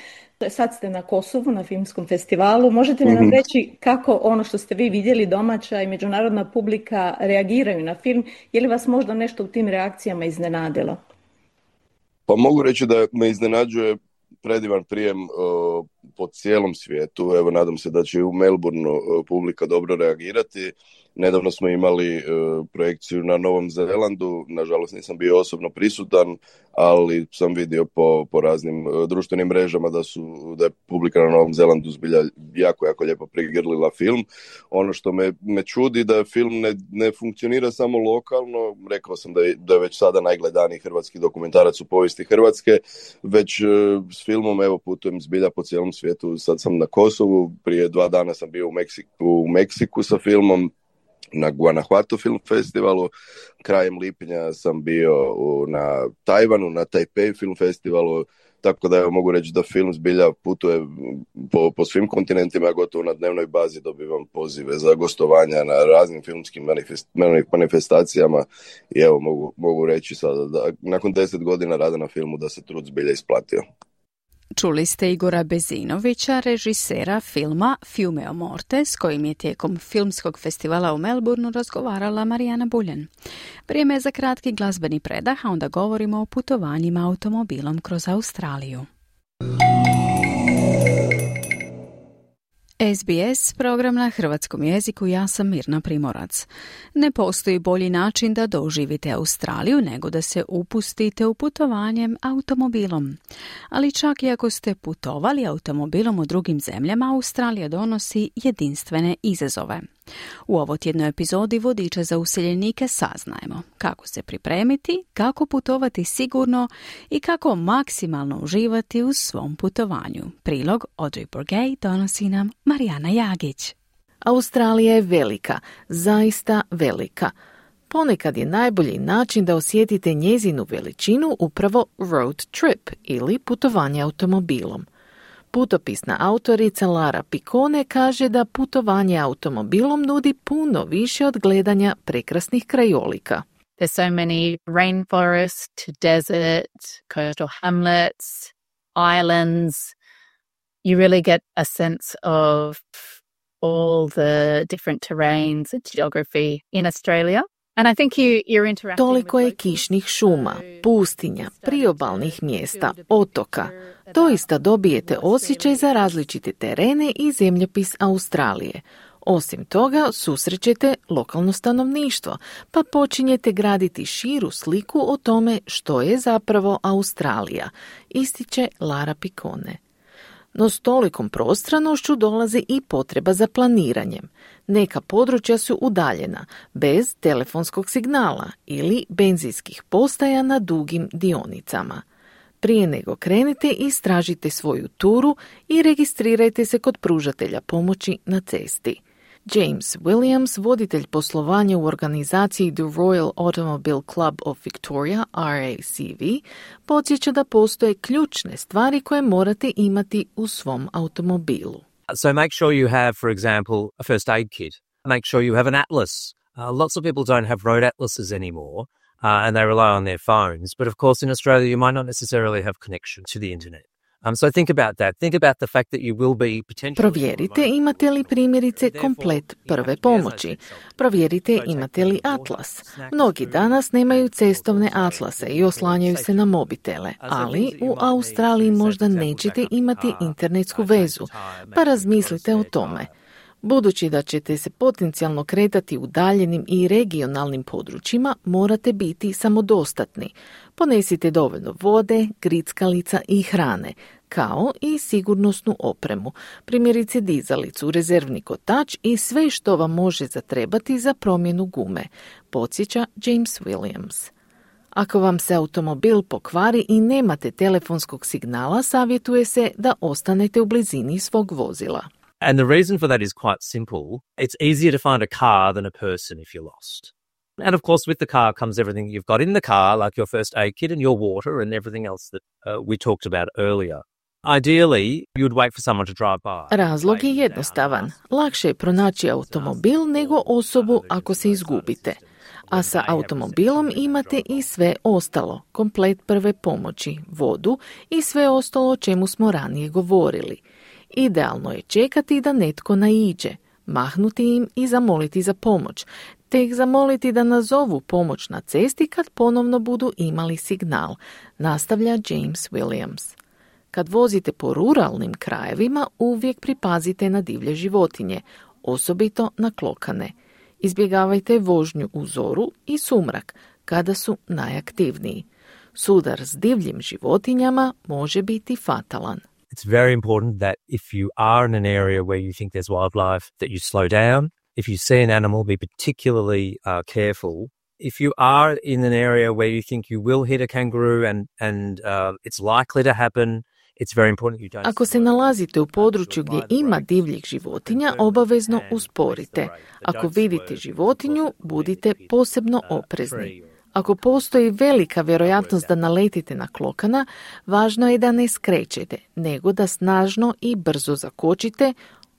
Sad ste na Kosovu na filmskom festivalu. Možete li nam reći kako ono što ste vi vidjeli, domaća i međunarodna publika, reagiraju na film? Je li vas možda nešto u tim reakcijama iznenadilo? Pa mogu reći da me iznenađuje predivan prijem po cijelom svijetu. Evo, nadam se da će u Melbourneu publika dobro reagirati. Nedavno smo imali projekciju na Novom Zelandu, nažalost nisam bio osobno prisutan, ali sam vidio po raznim društvenim mrežama da je publika na Novom Zelandu zbilja jako lijepo prigrlila film. Ono što me čudi da film ne funkcionira samo lokalno, rekao sam da je već sada najgledaniji hrvatski dokumentarac u povijesti Hrvatske, već s filmom evo putujem zbilja po cijelom svijetu. Sad sam na Kosovu, prije 2 dana sam bio u Meksiku sa filmom, na Guanajuato Film Festivalu, krajem lipnja sam bio na Tajvanu, na Taipei Film Festivalu, tako da evo, mogu reći da film zbilja putuje po svim kontinentima, gotovo na dnevnoj bazi dobivam pozive za gostovanja na raznim filmskim manifestacijama i evo mogu reći sada da nakon 10 godina rada na filmu da se trud zbilja isplatio. Čuli ste Igora Bezinovića, režisera filma Fiume o Morte, s kojim je tijekom filmskog festivala u Melbourneu razgovarala Marijana Buljan. Vrijeme je za kratki glazbeni predah, a onda govorimo o putovanjima automobilom kroz Australiju. SBS, program na hrvatskom jeziku, ja sam Mirna Primorac. Ne postoji bolji način da doživite Australiju nego da se upustite u putovanje automobilom. Ali čak i ako ste putovali automobilom u drugim zemljama, Australija donosi jedinstvene izazove. U ovotjednoj epizodi Vodiča za useljenike saznajemo kako se pripremiti, kako putovati sigurno i kako maksimalno uživati u svom putovanju. Prilog Audrey Bourget donosi nam Marijana Jagić. Australija je velika, zaista velika. Ponekad je najbolji način da osjetite njezinu veličinu upravo road trip ili putovanje automobilom. Putopisna autorica Lara Piccone kaže da putovanje automobilom nudi puno više od gledanja prekrasnih krajolika. There's so many rainforest, desert, coastal hamlets, islands. You really get a sense of all the different terrains and geography in Australia. Toliko je kišnih šuma, pustinja, priobalnih mjesta, otoka. Doista dobijete osjećaj za različite terene i zemljopis Australije. Osim toga, susrećete lokalno stanovništvo, pa počinjete graditi širu sliku o tome što je zapravo Australija, ističe Lara Piccone. No s tolikom prostranošću dolazi i potreba za planiranjem. Neka područja su udaljena, bez telefonskog signala ili benzinskih postaja na dugim dionicama. Prije nego krenete, istražite svoju turu i registrirajte se kod pružatelja pomoći na cesti. James Williams, voditelj poslovanja u organizaciji The Royal Automobile Club of Victoria, RACV, podsjeća da postoje ključne stvari koje morate imati u svom automobilu. So make sure you have, for example, a first aid kit. Make sure you have an atlas. Lots of people don't have road atlases anymore, and they rely on their phones. But of course, in Australia, you might not necessarily have connection to the internet. So think about that. Think about the fact that you will be potentially... Provjerite imate li primjerice komplet prve pomoći. Provjerite imate li atlas. Mnogi danas nemaju cestovne atlase i oslanjaju se na mobitele, ali u Australiji možda nećete imati internetsku vezu, pa razmislite o tome. Budući da ćete se potencijalno kretati u udaljenim i regionalnim područjima, morate biti samodostatni. Ponesite dovoljno vode, grickalica i hrane, kao i sigurnosnu opremu, primjerice dizalicu, rezervni kotač i sve što vam može zatrebati za promjenu gume, podsjeća James Williams. Ako vam se automobil pokvari i nemate telefonskog signala, savjetuje se da ostanete u blizini svog vozila. And the reason for that is quite simple. It's easier to find a car than a person if you're lost. And of course, with the car comes everything you've got in the car, like your first aid kit and your water and everything else that we talked about earlier. Ideally, you would wait for someone to drive by. Razlog je jednostavan. Lakše je pronaći automobil nego osobu ako se izgubite. A sa automobilom imate i sve ostalo, komplet prve pomoći, vodu i sve ostalo o čemu smo ranije govorili. Idealno je čekati da netko naiđe, mahnuti im i zamoliti za pomoć, te ih zamoliti da nazovu pomoć na cesti kad ponovno budu imali signal, nastavlja James Williams. Kad vozite po ruralnim krajevima, uvijek pripazite na divlje životinje, osobito na klokane. Izbjegavajte vožnju u zoru i sumrak, kada su najaktivniji. Sudar s divljim životinjama može biti fatalan. It's very important that if you are in an area where you think there's wildlife, that you slow down. If you see an animal, be particularly careful. If you are in an area where you think you will hit a kangaroo and it's likely to happen, it's very important you don't... Ako se nalazite u području gdje ima divljih životinja, obavezno usporite. Ako vidite životinju, budite posebno oprezni. Ako postoji velika vjerojatnost da naletite na klokana, važno je da ne skrećete, nego da snažno i brzo zakočite,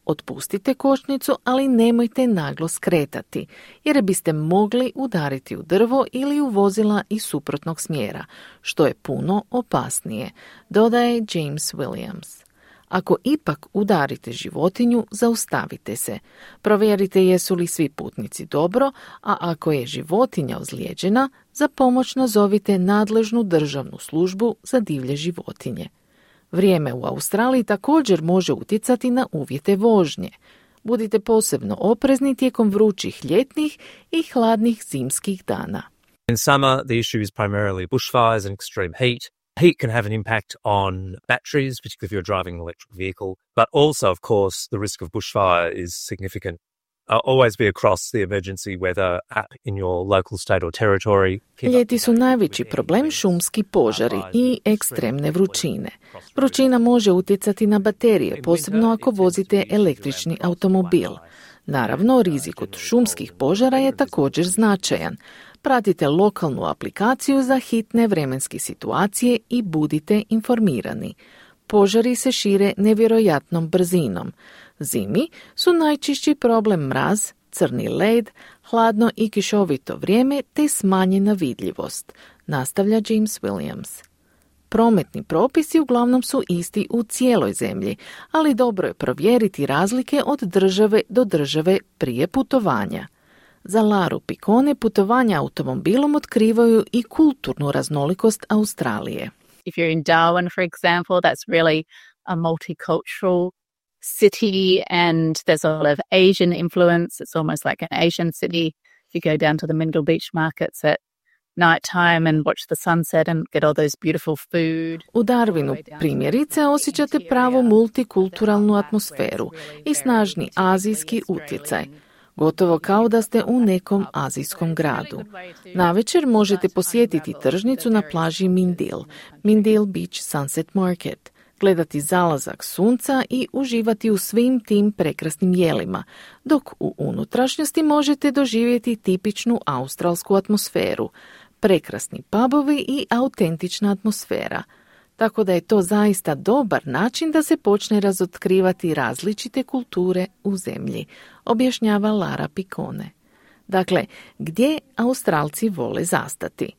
otpustite kočnicu, ali nemojte naglo skretati, jer biste mogli udariti u drvo ili u vozila iz suprotnog smjera, što je puno opasnije, dodaje James Williams. Ako ipak udarite životinju, zaustavite se. Provjerite jesu li svi putnici dobro, a ako je životinja ozlijeđena, za pomoć nazovite nadležnu državnu službu za divlje životinje. Vrijeme u Australiji također može utjecati na uvjete vožnje. Budite posebno oprezni tijekom vrućih ljetnih i hladnih zimskih dana. In summer, the issue is primarily bushfires and extreme heat. Heat can have an impact on batteries, particularly if you're driving an electric vehicle, but also, of course, the risk of bushfire is significant. Always be across the emergency weather app in your local state or territory. Ljeti su najveći problem šumski požari i ekstremne vrućine. Vrućina može utjecati na baterije, posebno ako vozite električni automobil. Naravno, rizik od šumskih požara je također značajan. Pratite lokalnu aplikaciju za hitne vremenske situacije i budite informirani. Požari se šire nevjerojatnom brzinom. Zimi su najčešći problem mraz, crni led, hladno i kišovito vrijeme te smanjena vidljivost, nastavlja James Williams. Prometni propisi uglavnom su isti u cijeloj zemlji, ali dobro je provjeriti razlike od države do države prije putovanja. Za Laru Piccone putovanja automobilom otkrivaju i kulturnu raznolikost Australije. If you're in Darwin, for example, that's really a multicultural city and there's a lot of Asian influence. It's almost like an Asian city. You go down to the Mindle Beach markets at night time and watch the sunset and get all those beautiful food. U Darwinu primjerice osjećate pravu multikulturalnu atmosferu i snažni azijski utjecaj. Gotovo kao da ste u nekom azijskom gradu. Navečer možete posjetiti tržnicu na plaži Mindale Beach Sunset Market, gledati zalazak sunca i uživati u svim tim prekrasnim jelima, dok u unutrašnjosti možete doživjeti tipičnu australsku atmosferu, prekrasni pubovi i autentična atmosfera. Tako da je to zaista dobar način da se počne razotkrivati različite kulture u zemlji, objašnjava Lara Piccone. Dakle, gdje Australci vole zastati?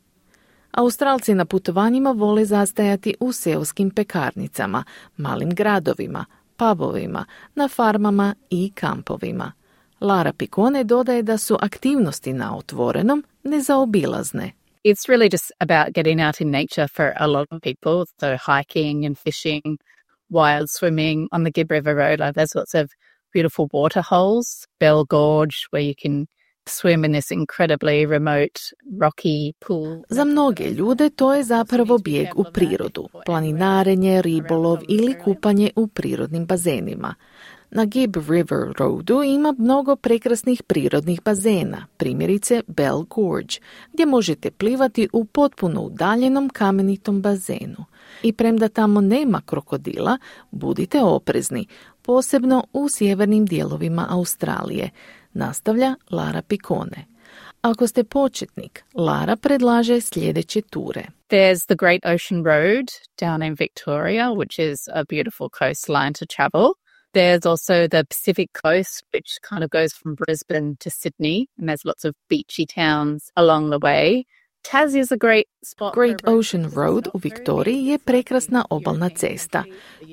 Australci na putovanjima vole zastajati u seoskim pekarnicama, malim gradovima, pubovima, na farmama i kampovima. Lara Piccone dodaje da su aktivnosti na otvorenom nezaobilazne. It's really just about getting out in nature for a lot of people. So hiking and fishing, wild swimming on the Gibb River Road. There's lots of beautiful water holes, Bell Gorge, where you can swim in this incredibly remote rocky pool. Za mnoge ljude to je zapravo bijeg u prirodu, planinarenje, ribolov ili kupanje u prirodnim bazenima. Na Gibb River Roadu ima mnogo prekrasnih prirodnih bazena, primjerice Bell Gorge, gdje možete plivati u potpuno udaljenom kamenitom bazenu. I premda tamo nema krokodila, budite oprezni, posebno u sjevernim dijelovima Australije, nastavlja Lara Piccone. Ako ste početnik, Lara predlaže sljedeće ture. There's the Great Ocean Road down in Victoria, which is a beautiful coastline to travel. There's also the Pacific Coast, which kind of goes from Brisbane to Sydney, and there's lots of beachy towns along the way. Tassie is a great spot. Great Ocean Road u Viktoriji je prekrasna obalna cesta.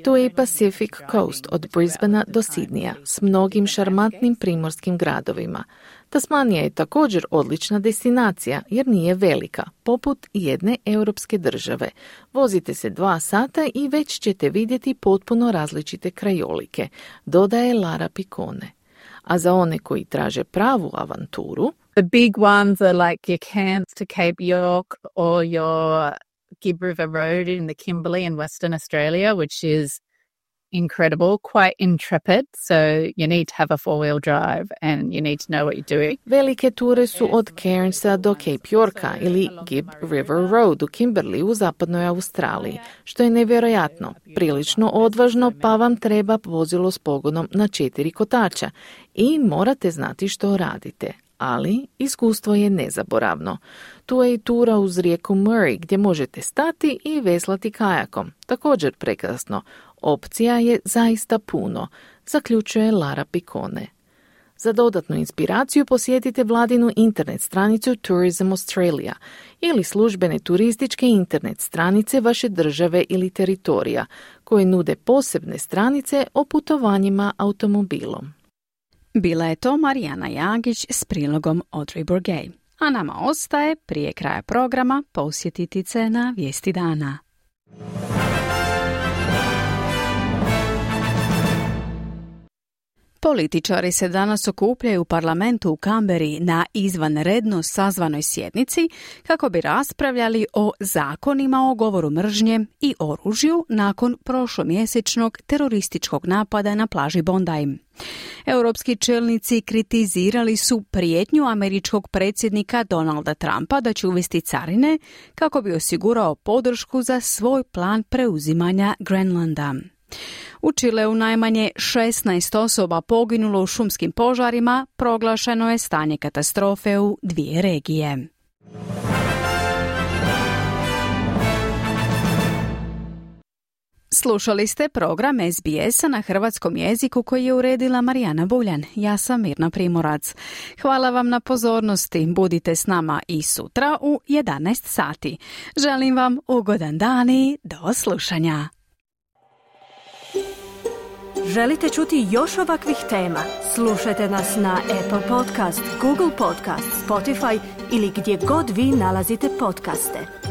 To je Pacific Coast od Brisbanea do Sydneya s mnogim šarmantnim primorskim gradovima. Tasmanija je također odlična destinacija jer nije velika, poput jedne europske države. Vozite se 2 sata i već ćete vidjeti potpuno različite krajolike, dodaje Lara Piccone. A za one koji traže pravu avanturu, the big ones are like your camps to Cape York or your Gibb River Road in the Kimberley in Western Australia, which is incredible, quite intrepid, so you need to have a 4-wheel drive and you need to know what you're doing. Velike ture su od Cairnsa do Cape Yorka ili Gibb River Road u Kimberley u zapadnoj Australiji, što je nevjerojatno, prilično odvažno, pa vam treba vozilo s pogonom na 4 kotača i morate znati što radite. Ali iskustvo je nezaboravno. Tu je i tura uz rijeku Murray gdje možete stati i veslati kajakom. Također prekrasno. Opcija je zaista puno, zaključuje Lara Piccone. Za dodatnu inspiraciju posjetite vladinu internet stranicu Tourism Australia ili službene turističke internet stranice vaše države ili teritorija, koje nude posebne stranice o putovanjima automobilom. Bila je to Marijana Jagić s prilogom Audrey Bourget. A nama ostaje prije kraja programa posjetiti se na vijesti dana. Političari se danas okupljaju u parlamentu u Kamberi na izvanredno sazvanoj sjednici kako bi raspravljali o zakonima o govoru mržnje i oružju nakon prošlomjesečnog terorističkog napada na plaži Bondi. Europski čelnici kritizirali su prijetnju američkog predsjednika Donalda Trumpa da će uvesti carine kako bi osigurao podršku za svoj plan preuzimanja Grenlanda. U Čileu najmanje 16 osoba poginulo u šumskim požarima, proglašeno je stanje katastrofe u 2 regije. Slušali ste program SBS-a na hrvatskom jeziku koji je uredila Marijana Buljan. Ja sam Mirna Primorac. Hvala vam na pozornosti. Budite s nama i sutra u 11 sati. Želim vam ugodan dan i do slušanja. Želite čuti još ovakvih tema? Slušajte nas na Apple Podcast, Google Podcast, Spotify ili gdje god vi nalazite podcaste.